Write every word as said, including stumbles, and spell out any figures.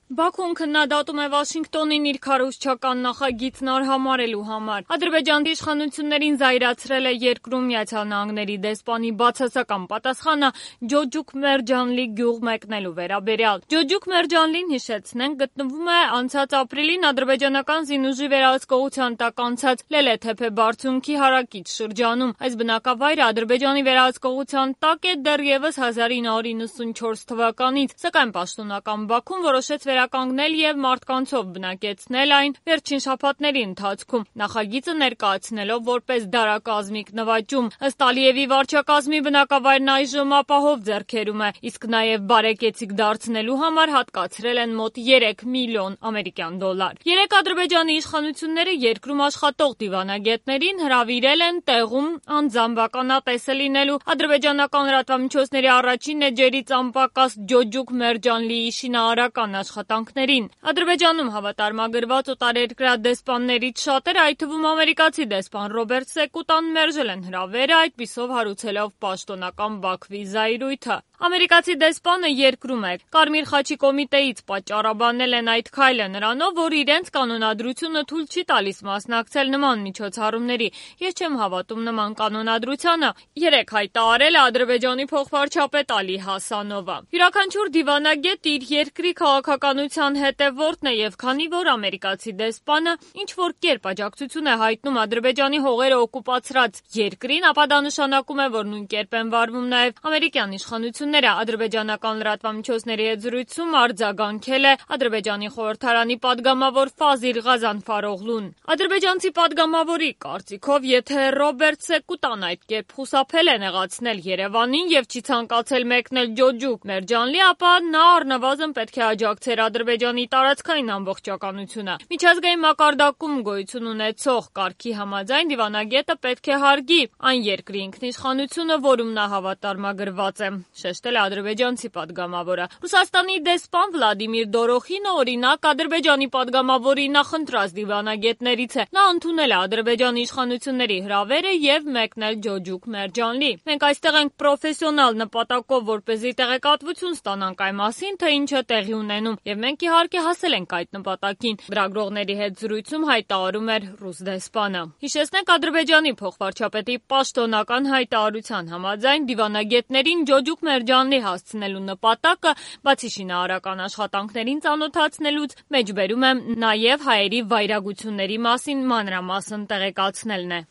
Բաքուն քննադատում է Վաշինգտոնին իր քարոզչական նախագիծն արհամարհելու համար։ Ադրբեջանի իշխանություններին զայրացրել է երկրում Միացյալ Նահանգների դեսպանի բացասական պատասխանը Ջոջուկ Մերջանլի գյուղ մեկնելու վերաբերյալ։ Ջոջուկ Մերջանլին, հիշեցնենք, գտնվում է անցած ապրիլին ադրբեջանական զինուժի վերահսկողության տակ անցած Լելեթեփե բարձունքի հարակից շրջանում։ Այս բնակավայրը Ադրբեջանի վերահսկողության տակ է դեռևս հազար ինը հարյուր իննսունչորս թվականից, սակայն պաշտոնական Բաքուն որոշեց վերականգնել եւ մարդկանցով բնակեցնել այն վերջին շաբաթների ընթացքում, նախագիծը ներկայացնելով որպես դարակազմիկ նվաճում։ Ըստ Ալիևի վարչակազմի բնակավայրն այժմ ապահով ձեռքերում է, իսկ նաեւ բարեկեցիկ դարձնելու համար հատկացրել են մոտ երեք միլիոն ամերիկյան դոլար։ Երեք Ադրբեջանի իշխանությունները երկրում աշխատող դիվանագետներին հրավիրել են տեղում անձամբ ականատեսը լինելու ադրբեջանական լրատվամիջոցների առաջին էջերից անպակաս Ջոջուկ Մերջանլիի շինարարական աշխատանքներին։ Ադրբեջանում հավատարմագրված օտարերկրյա դեսպաններից շատերը, այդ թվում ամերիկացի դեսպան Ռոբերտ Սեկուտան, մերժել են հրավերը, այդպիսով հարուցելով պաշտոնական Բաքվի զայրույթը։ Ամերիկացի դեսպանը երկրում է։ Կարմիր խաչի կոմիտեից պատճառաբանել են այդ քայլը նրանով, որ իրենց կանոնադրությունը թույլ չի տալիս մասնակցել նման միջոցառումների։ Ես չեմ հավատում նման կանոնադրությանը, երեկ հայտարարել է Ադրբեջանի փոխվարչապետ Ալի Հասանովը։ Յուրաքանչյուր դիվանագետ իր երկրի քաղաքականության հետևորդն է, եւ քանի որ ամերիկացի դեսպանը ինչ որ կերպ աջակցություն է հայտնում Ադրբեջանի հողերը օկուպացրած երկրին, ապա դա նշանակում է, որ նույն կերպ են վարվում նաեւ ամերիկյան իշխանությունները։ Ադրբեջանական լրատվամիջոցների հետ զրույցում արձագանքել է Ադրբեջանի խորհրդարանի падգամավոր Ֆազիլ Ղազանֆարօղլուն։ Ադրբեջանցի падգամավորի կարծիքով, եթե Ռոբերտ Սեկուտան այդ կերպ խուսափել է նեղացնել Երևանին եւ չի ցանկացել մեկնել Ջոջուկ Մերջանլի, ապա նա առնվազն պետք է աջակցեր Ադրբեջանի տարածքային ամբողջականությունը։ Միջազգային մակարդակում գոյություն ունեցող կարգի համաձայն դիվանագետը պետք է հարգի այն երկրի ինքնիշխանությունը, որում նա հավատարմագրված է, շեշտել է ադրբեջանցի падգամավորը։ Ռուսաստանի դեսպան Վլադիմիր Դորոխինը, օրինակ, Ադրբեջանի падգամավորի նախընտրած դիվանագետներից է։ Նա ընդունել է Ադրբեջանի իշխանությունների հրավերը եւ մեկնել Ջոջուկ Մերջանլի։ Մենք այստեղ ենք պրոֆեսիոնալ նպատակով, որպեսզի տեղեկատվություն ստանանք այն մասին, թե ինչ է տեղի ունենում, եւ մենք իհարկե հասել ենք այդ նպատակին, լրագրողների հետ զրույցում հայտարարում էր ռուս դեսպանը։ Հիշեցնենք, Ադրբեջանի փոխվարչապետի պաշտոնական հայտարարության համաձայն դիվանագետներին Ջոջուկ Մերջանլի հասցնելու նպատակը, բացի շինարարական աշխատանքներին ծանոթացնելուց, մեջբերում է նաեւ հայերի վայրագությունների մասին մանրամասն տեղեկացնելն է։